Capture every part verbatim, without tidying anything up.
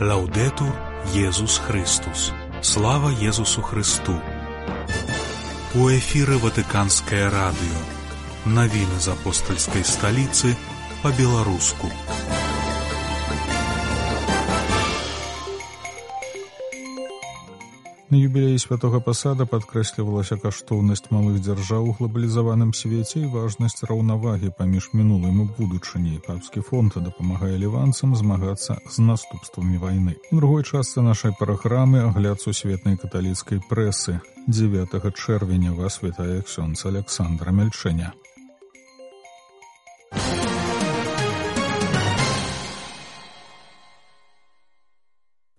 Лаўдетур Езус Христус. Слава Езусу Христу. У эфіры Ватыканскае радыё. Навіны з апостальскай сталіцы па-беларуску. На юбілеі святога пасада падкрэслівалася каштоўнасць малых дзяржаў у глабалізаваным свеце і важнасць раўнавагі паміж мінулым і будучыняй. Папскі фонд дапамагае ліванцам змагацца з наступствамі вайны. У другой частцы нашай праграмы агляд сусветнай каталіцкай прэсы. дзевятага чэрвеня вас вітае ксёндз Аляксандр Мельчэня.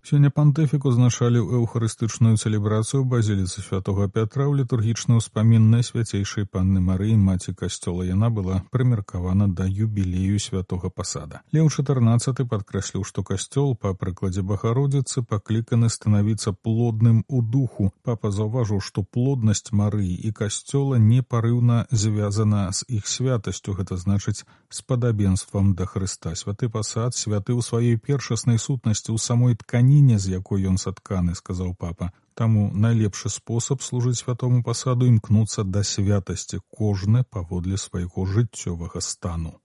Сёння пантыфік узначаліў эўхарыстычную цэлебрацыю ў базіліцы святога Пятра ў літургічны ўспамін Найсвяцейшай Панны Марыі, маці касцёла. Яна была прымеркавана да юбілею святога пасада. Леў чатырнаццаты падкрэсліў, што касцёл, па прыкладзе Багародзіцы, пакліканы станавіцца плодным у духу. Папа заўважыў, што плоднасць Марыі і касцёла непарыўна звязана з іх святасцю, гэта значыць з падабенствам да Хрыста. Святы пасад святы ў сваёй першаснай сутнасці ў самой ткані, з якой ён сатканы, сказаў папа. Таму найлепшы спосаб служыць святому пасаду імкнуцца да святасці, кожны паводле свайго жыццёвага стану.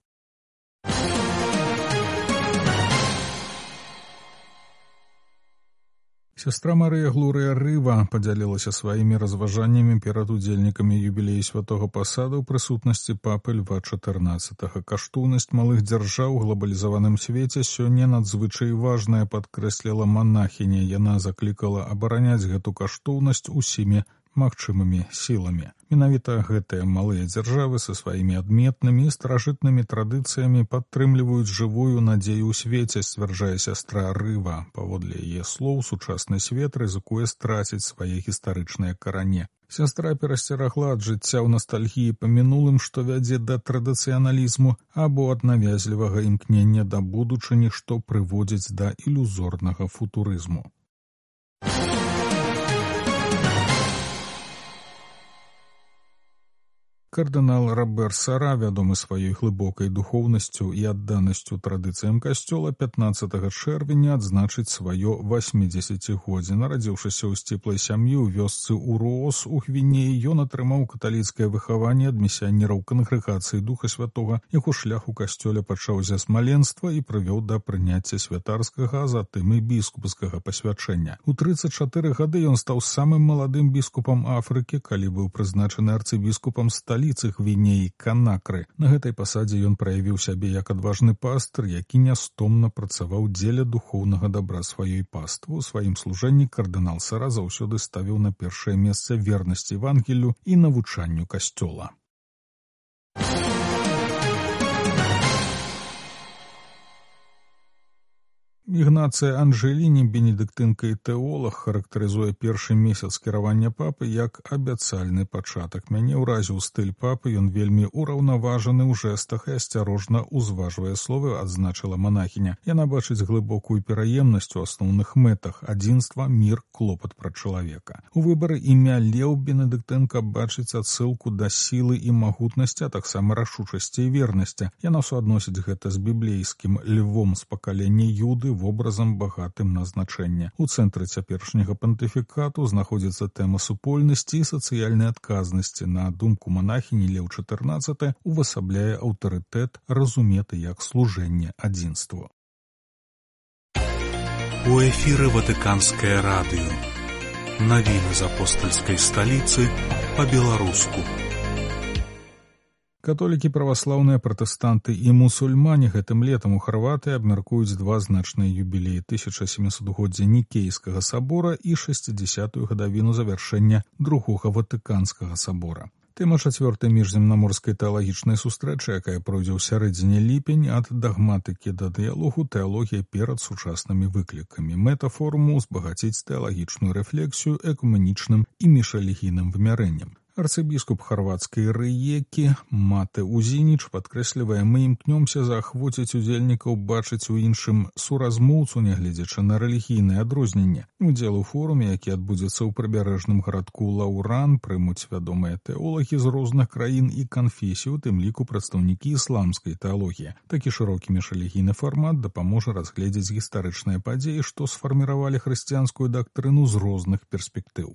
Сястра Марыя Глорыя Рыва падзялілася сваімі разважаннямі перад удзельнікамі юбілею святога пасада ў прысутнасці папы Льва чатырнаццатага. Каштоўнасць малых дзяржаў у глабалізаваным свеце сёння надзвычай важная, падкрэсліла манахіня. Яна заклікала абараняць гэту каштоўнасць усімі магчымымі сіламі. Менавіта гэтыя малыя дзяржавы са сваімі адметнымі і старажытнымі традыцыямі падтрымліваюць жывую надзею ў свеце, сцвярджае сястра Рыва. Паводле яе слоў, сучасны свет рызыкуе страціць свае гістарычныя карані. Сястра перасцерагла ад жыцця ў настальгіі па мінулым, што вядзе да традыцыяналізму, або ад навязлівага імкнення да будучыні, што прыводзіць да ілюзорнага футурызму. Кардынал Робер Сара, вядомы сваёй глыбокай духоўнасцю і адданасцю традыцыям касцёла, пятнаццатага чэрвеня адзначыць сваё васьмідзесяцігоддзе. Нарадзіўшыся ў сціплай сям'і ў вёсцы Уроос у Гвінеі, ён атрымаў каталіцкае выхаванне ад місіянераў кангрэгацыі Духа Святога. Яго шлях у касцёле пачаўся з маленства і прывёў да прыняцця святарскага, а затым і біскупскага пасвячэння. У трыццаць чатыры гады ён стаў самым маладым біскупам Афрыкі, калі быў прызначаны арцыбіскупам сталіцы Гвінеі Канакры. На гэтай пасадзе ён праявіў сябе як адважны пастыр, які нястомна працаваў дзеля духоўнага дабра сваёй паствы. У сваім служэнні кардынал Сара заўсёды ставіў на першае месца вернасць Евангелію і навучанню касцёла. Ігнацыя Анжэліні, бенедыктынка і тэолог, характарызуе першы месяц кіравання папы як абяцальны пачатак. Мяне ўразіў стыль папы, ён вельмі ўраўнаважаны ў жэстах і асцярожна ўзважвае словы, адзначыла манахіня. Яна бачыць глыбокую пераемнасць у асноўных мэтах: адзінства, мір, клопат пра чалавека. У выбары імя Леў бенедыктынка бачыць адсылку да сілы і магутнасці, а таксама рашучасці і вернасці. Яна суадносіць гэта з біблейскім львом з пакалення Юды, вобразам багатым на значэнне. У цэнтры цяперашняга пантыфікату знаходзіцца тэма супольнасці і сацыяльнай адказнасці. На думку манахіні, Леў чатырнаццаты увасабляе аўтарытэт, разуметы як служэнне адзінству. У эфіры Ватыканскае радыё. Навіны з апостальскай сталіцы па-беларуску. Католікі, праваслаўныя, пратэстанты і мусульмане гэтым летам у Харватыі абмяркуюць два значныя юбілеі: тысяча сямісотгоддзя Нікейскага сабора і шэсцідзясятую гадавіну завяршэння другога Ватыканскага сабора. Тэма чацвёртай міжземнаморскай тэалагічнай сустрэчы, якая пройдзе ў сярэдзіне ліпень, ад дагматыкі да дыялогу, тэалогія перад сучаснымі выклікамі. Мэта форуму — узбагаціць тэалагічную рэфлексію экуменічным і міжрэлігійным вымярэннем. Арцыбіскуп харвацкай Рыекі Мате Узініч падкрэслівае: «Мы імкнёмся заахвоціць удзельнікаў бачыць у іншым суразмоўцу, нягледзячы на рэлігійныя адрозненні. Удзел у форуме, які адбудзецца ў прыбярэжным гарадку Лаўран, прымуць вядомыя тэолагі з розных краін і канфесій, у тым ліку прадстаўнікі ісламскай тэалогіі. Такі шырокі міжрэлігійны фармат дапаможа разгледзець гістарычныя падзеі, што сфарміравалі хрысціянскую дактрыну з розных перспектыў».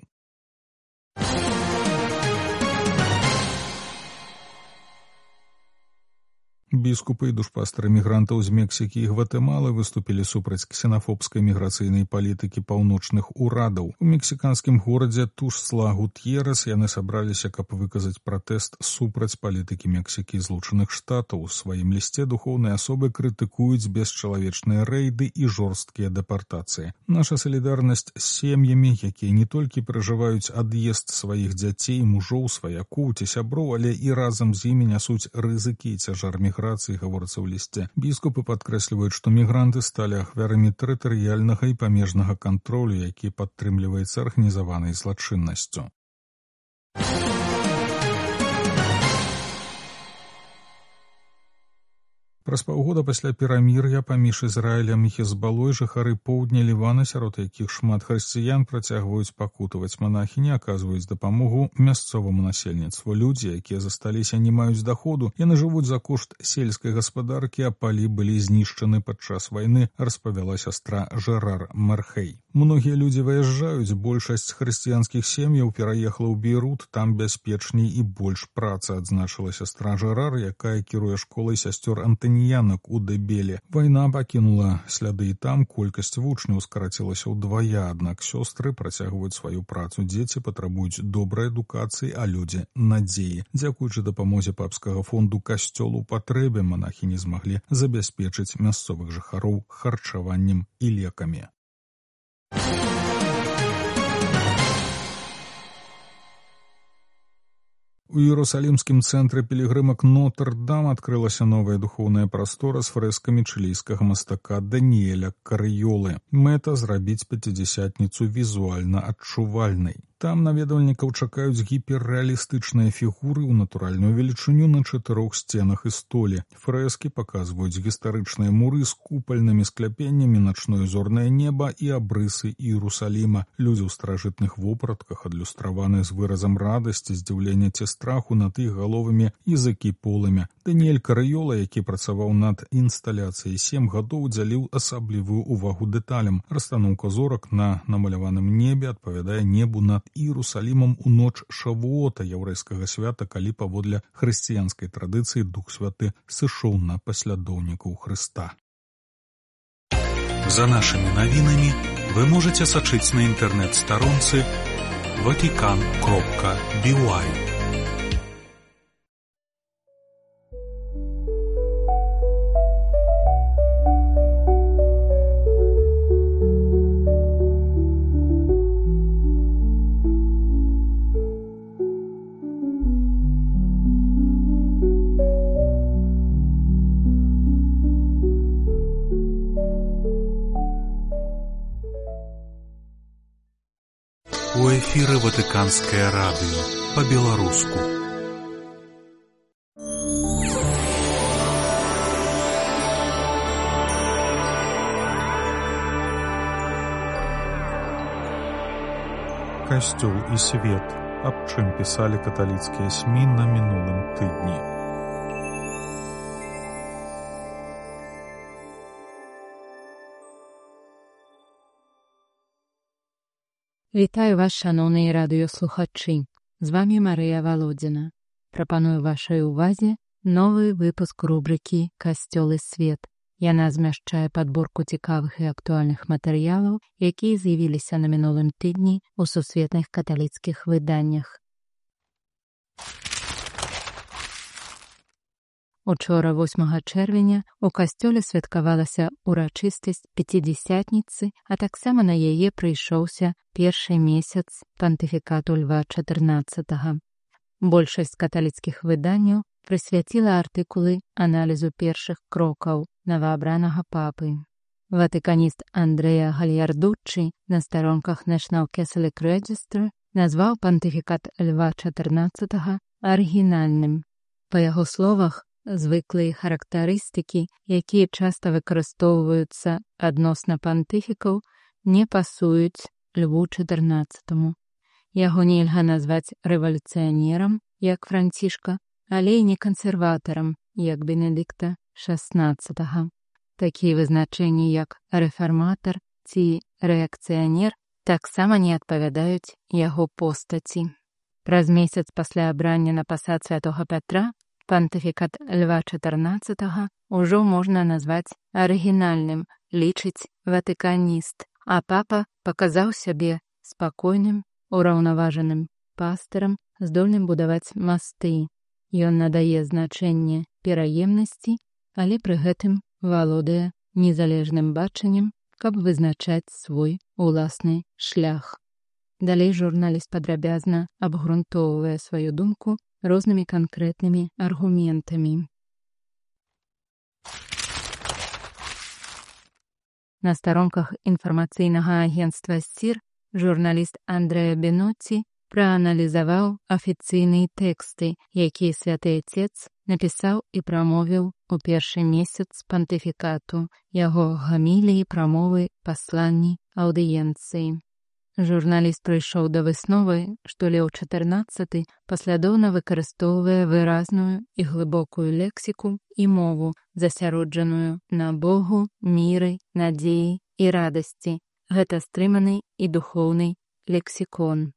Біскупы і душпастары мігрантаў з Мексікі і Гватэмалы выступілі супраць ксенафобскай міграцыйнай палітыкі паўночных урадаў. У мексіканскім горадзе Тушсла-Гутьерас яны сабраліся, каб выказаць пратэст супраць палітыкі Мексікі і Злучаных Штатаў. У сваім лісце духоўныя асобы крытыкуюць бесчалавечныя рэйды і жорсткія дэпартацыі. Наша салідарнасць з сем'ямі, якія не толькі перажываюць ад'езд сваіх дзяцей, мужоў, сваякоў ці сяброў, але і разам з імі нясуць рызыкі і цяжар міграцыі, гаворыцца ў лісце. Біскупы падкрэсліваюць, што мігранты сталі ахвярамі тэрытарыяльнага і памежнага кантролю, які падтрымліваецца арганізаванай злачыннасцю. Праз паўгода пасля перамір'я паміж Ізраілем і Хезбалой жыхары поўдня Лівана, сярод якіх шмат хрысціян, працягваюць пакутаваць. Манахі не аказваюць дапамогу мясцоваму насельніцтву. Людзі, якія засталіся, не маюць даходу. Яны жывуць за кошт сельскай гаспадаркі, а палі былі знішчаны падчас вайны, распавяла сястра Жерар Мархей. Многія людзі выязджаюць, большасць хрысціянскіх сем'яў пераехала ў Бейрут, там бяспечней і больш працы, адзначыла сястра Жерар, якая кіруе школай сясцёр Антаніянак у Дэбеле. Вайна пакінула сляды і там, колькасць вучняў скарацілася ўдвая, аднак сёстры працягваюць сваю працу. Дзеці патрабуюць добрай адукацыі, а людзі надзеі. Дзякуючы дапамозе папскага фонду касцёлу патрэбе манахі не змаглі забяспечыць мясцовых жыхароў харчаваннем і лекамі. У Іерусалімскім цэнтры пілігрымак Нотр-Дам адкрылася новая духоўная прастора з фрэскамі чылійскага мастака Даніэля Карыёлы. Мэта — зрабіць пяцідзясятніцу візуальна адчувальнай. Там наведвальнікаў чакаюць гіперрэалістычныя фігуры ў натуральную велічыню на чатырох сценах і столі. Фрэскі паказваюць гістарычныя муры з купальнымі скляпеннямі, начное зорнае неба і абрысы Іерусаліма. Людзі ў старажытных вопратках, адлюстраваныя з выразам радасці, здзіўлення ці страху над іх галовамі языкі полымя. Даніэль Карыёла, які працаваў над інсталяцыяй сем гадоў, удзяліў асаблівую увагу дэталям. Расстаноўка зорак на намаляваным небе адпавядае небу над Іерусалімам у ноч Шавуота, яўрэйскага свята, калі паводле хрысціянскай традыцыі Дух Святы сышоў на паслядоўнікаў Хрыста. За нашими навінамі вы можете сачыць на інтэрнэт-старонцы ватикан кропка би уай. У эфіры Ватыканскае радыё па-беларуску. Касцёл і свет. Аб чым пісалі каталіцкія СМІ на мінулым тыдні. Вітаю вас, шановні радыёслухачы. З вами Марыя Валодзіна. Прапаную вашай увазе новы выпуск рубрыкі «Касцёл і свет». Яна змяшчае падборку цікавых і актуальных матэрыялаў, якія з'явіліся на мінулым тыдні ў сусветных каталіцкіх выданнях. Учора, восьмага чэрвеня, у касцёле святкавалася ўрачыстасць пяцідзясятніцы, а таксама на яе прыйшоўся першы месяц пантыфікату Льва чатырнаццатага. Большасць каталіцкіх выданняў прысвяціла артыкулы аналізу першых крокаў новаабранага папы. Ватыканіст Андрэа Гальярдуччы на старонках National Catholic Register назваў пантыфікат Льва чатырнаццатага арыгінальным. Па яго словах, звыклыя характарыстыкі, якія часта выкарыстоўваюцца адносна пантыфікаў, не пасуюць Льву чатырнаццатаму. Яго нельга назваць рэвалюцыянерам, як Францішка, але і не кансерватарам, як Бенедыкта шаснаццатага. Такія вызначэнні, як рэфарматар ці рэакцыянер, таксама не адпавядаюць яго постаці. Праз месяц пасля абрання на пасад святога Пятра пантыфікат Льва чатырнаццатага ўжо можна назваць арыгінальным, лічыць ватыканіст, а папа паказаў сябе спакойным, ураўнаважаным пастырам, здольным будаваць масты. Ён надае значэнне пераемнасці, але пры гэтым валодае незалежным бачаннем, каб вызначаць свой уласны шлях. Далей журналіст падрабязна абгрунтоўвае сваю думку рознымі канкрэтнымі аргументамі. На старонках інфармацыйнага агенцтва СССР журналіст Андрэа Бенотці прааналізаваў афіцыйныя тэксты, якія Святы Отец напісаў і прамовіў у першы месяц пантыфікату, яго гаміліі, прамовы, пасланні, аўдыенцыі. Журналіст прыйшоў да высновы, што Леў чатырнаццаты паслядоўна выкарыстоўвае выразную і глыбокую лексіку і мову, засяроджаную на Богу, міры, надзеі і радасці. Гэта стрыманы і духоўны лексікон.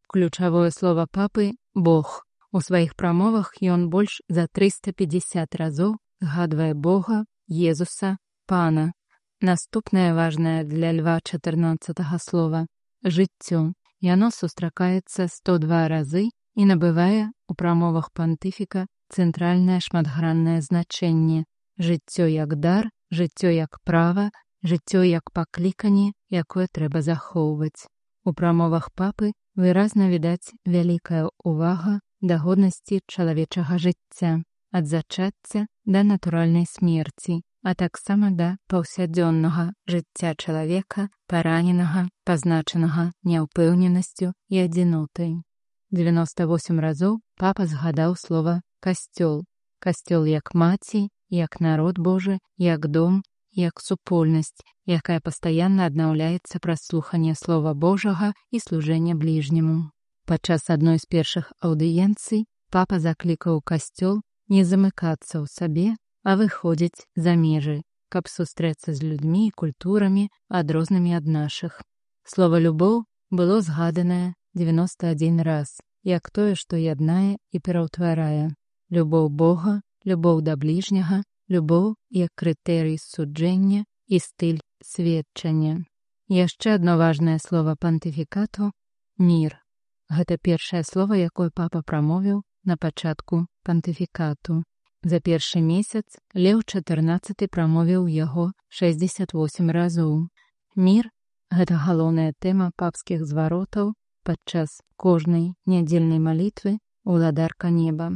Ключавое слова папы – Бог. У сваіх прамовах ён больш за трыста пятьдесят разоў згадвае Бога, Езуса, Пана. Наступнае важнае для Льва чатырнаццатага слова – жыццё. Яно сустракаецца сто два разы і набывае у прамовах пантыфіка цэнтральнае шматграннае значэнне. Жыццё як дар, жыццё як права, жыццё як пакліканне, якое трэба захоўваць. У прамовах папы выразна відаць вялікая ўвага да годнасці чалавечага жыцця, ад зачацця да натуральнай смерці, а таксама да паўсядзённага жыцця чалавека, параненага, пазначанага няўпэўненасцю і адзінотай. дзевяноста восем разоў папа згадаў слова «касцёл». Касцёл як маці, як народ Божы, як дом, як супольнасць, якая пастаянна аднаўляецца праз слуханне слова Божага і служэнне бліжняму. Падчас адной з першых аўдыенцый папа заклікаў касцёл не замыкацца ў сабе, а выходзіць за межы, каб сустрэцца з людзьмі і культурамі, адрознымі ад нашых. Слова «любоў» было згаданае дзевяноста адзін раз, як тое, што яднае і пераўтварае. Любоў Бога, любоў да бліжняга, любоў як крытэрый суджэння і стыль сведчання. Яшчэ адно важнае слова пантыфікату – мір. Гэта першае слова, якое папа прамовіў на пачатку пантыфікату. За першы месяц Леў чатырнаццаты прамовіў яго шэсцьдзесят восем разоў. Мір – гэта галоўная тэма папскіх зваротаў падчас кожнай нядзельнай малітвы «Уладарка неба».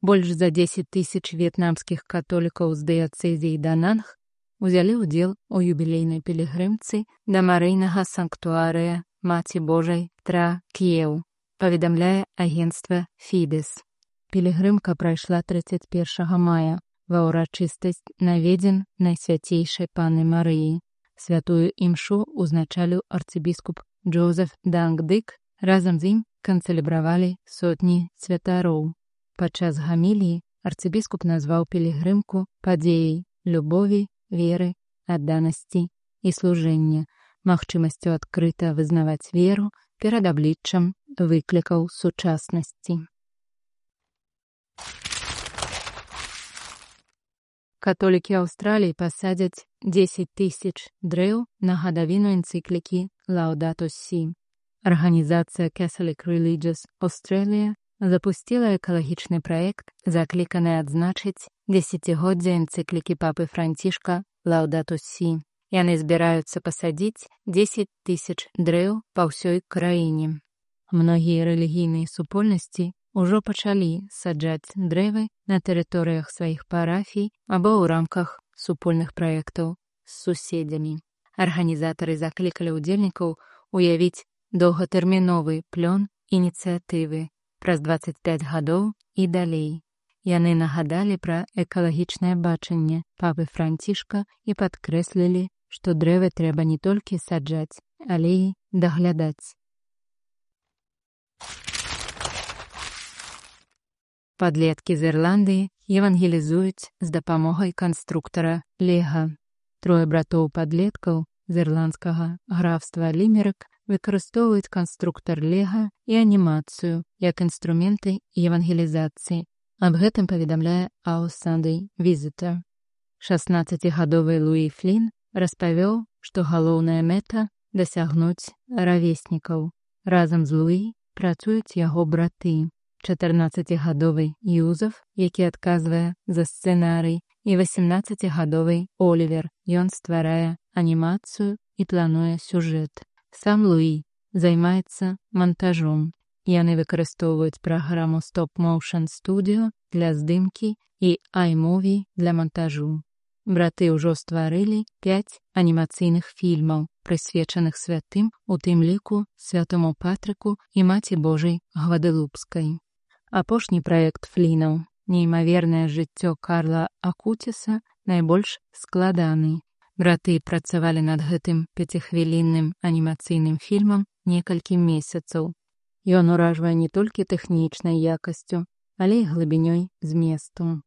Больш за дзесяць тысяч в'етнамскіх католікаў з дыяцэзіі Дананг узялі ўдзел у юбілейнай пілігрымцы да марыйнага санктуарыя Маці Божай Тра К'еў, паведамляе агенцтва Фідэс. Пілігрымка прайшла трыццаць першага мая ва ўрачыстасць наведзін Найсвяцейшай Панны Марыі. Святую імшу узначаліў арцыбіскуп Джозеф Дангдык, разам з ім канцэлебравалі сотні святароў. Падчас гаміліі арцыбіскуп назваў пілігрымку падзеяй любові, веры, адданасці і служэння, магчымасцю адкрыта вызнаваць веру перад абліччам выклікаў сучаснасці. Католікі Аўстраліі пасадзяць дзесяць тысяч дрэў на гадавіну энцыклікі «Лаудату Сі». Арганізацыя Catholic Religious Australia запусціла экалагічны праект, закліканы адзначыць дзесяцігоддзе энцыклікі папы Францішка «Лаудату Сі». Яны збіраюцца пасадзіць дзесяць тысяч дрэў па ўсёй краіне. Многія рэлігійныя супольнасці ўжо пачалі саджаць дрэвы на тэрыторыях сваіх парафій або ў рамках супольных праектаў з суседзямі. Арганізатары заклікалі ўдзельнікаў уявіць доўгатэрміновы плён ініцыятывы праз дваццаць пяць гадоў і далей. Яны нагадалі пра экалагічнае бачанне папы Францішка і падкрэслілі, што дрэвы трэба не толькі саджаць, але і даглядаць. Падлеткі з Ірландыі евангелізуюць з дапамогай канструктара Лега. Трое братоў-падлеткаў з ірландскага графства Лімерык выкарыстоўваюць канструктар Лега і анімацыю як інструменты евангелізацыі. Аб гэтым паведамляе Our Sunday Visitor. шаснаццацігадовы Луі Флін распавёў, што галоўная мэта – дасягнуць равеснікаў. Разам з Луі працуюць яго браты. чатырнаццацігадовы Юзеф, які адказвае за сцэнарый, і васемнаццацігадовы Олівер. Ён стварае анімацыю і плануе сюжэт. Сам Луі займаецца мантажом. Яны выкарыстоўваюць праграму Stop Motion Studio для здымкі і iMovie для мантажу. Браты ўжо стварылі пяць анімацыйных фільмаў, прысвечаных святым, у тым ліку святому Патрыку і Маці Божай Гваделупскай. Апошні праект Флінаў, неймавернае жыццё Карла Акуціса, найбольш складаны. Браты працавалі над гэтым пяцихвілінным анімацыйным фільмам некалькі месяцаў. Ён уражвае не толькі тэхнічнай якасцю, але і глыбінёй зместу.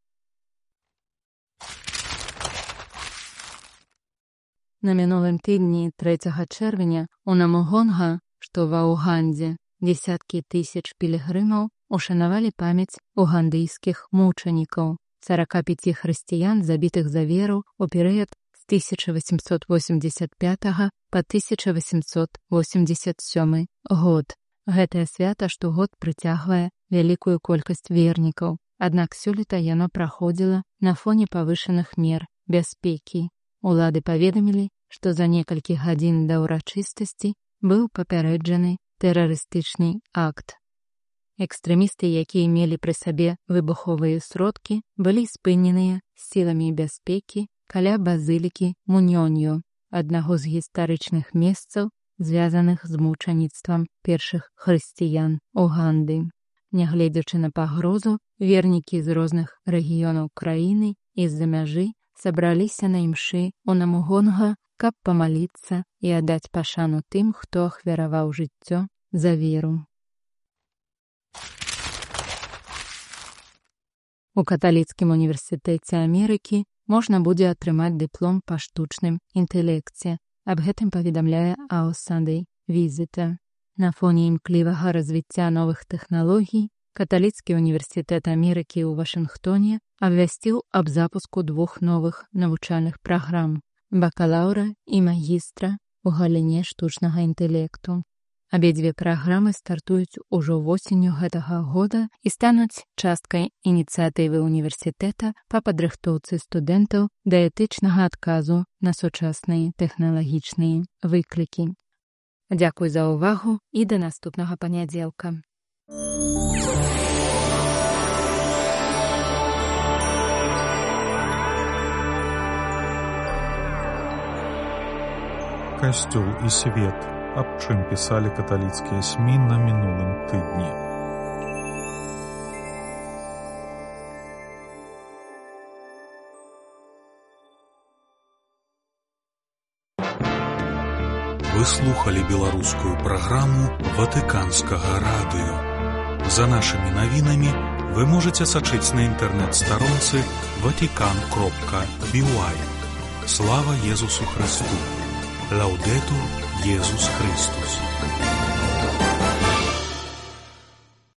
На мінулым тыдні трэцяга чэрвеня у Намугонга, што ва Угандзе, дзесяткі тысяч пілігрымаў ушанавалі памяць угандыйскіх мучанікаў, сарака пяці хрысціян, забітых за веру ў перыяд з тысяча васемсот восемдзесят пятага па тысяча васемсот восемдзесят сёмы год. Гэтае свята штогод прыцягвае вялікую колькасць вернікаў, аднак сёлета яно праходзіла на фоне павышаных мер бяспекі. Улады паведамілі, што за некалькі гадзін да ўрачыстасці быў папярэджаны тэрарыстычны акт. Экстрэмісты, якія мелі пры сабе выбуховыя сродкі, былі спыненыя сіламі бяспекі каля базылікі Муньоньо, аднаго з гістарычных месцаў, звязаных з мучаніцтвам першых хрысціян Уганды. Нягледзячы на пагрозу, вернікі з розных рэгіёнаў краіны і з-за мяжы сабраліся на імшы у Намугонга, каб памаліцца і аддаць пашану тым, хто ахвяраваў жыццё за веру. У каталіцкім універсітэце Амерыкі можна будзе атрымаць дыплом па штучным інтэлекце. Аб гэтым паведамляе Our Sunday Visitor. На фоне імклівага развіцця новых тэхналогій каталіцкі універсітэт Амерыкі ў Вашынгтоне абвясціў аб запуску двух новых навучальных праграм – бакалаўра і магістра ў галіне штучнага інтэлекту. Абедзве праграмы стартуюць ужо восенню гэтага года і стануць часткай ініцыятывы універсітэта па падрыхтоўцы студэнтаў да этычнага адказу на сучасныя тэхналагічныя выклікі. Дзякуй за ўвагу і да наступнага панядзелка. Касцёл і свет. Аб чым пісалі каталіцкія СМІ на мінулым тыдні. Вы слухали беларускую праграму Ватыканскага радыё. За нашымі навінамі вы можаце сачыць на інтэрнэт-старонцы ватикан кропка би уай. Слава Езусу Христу! Лаудетур Иисус Христос.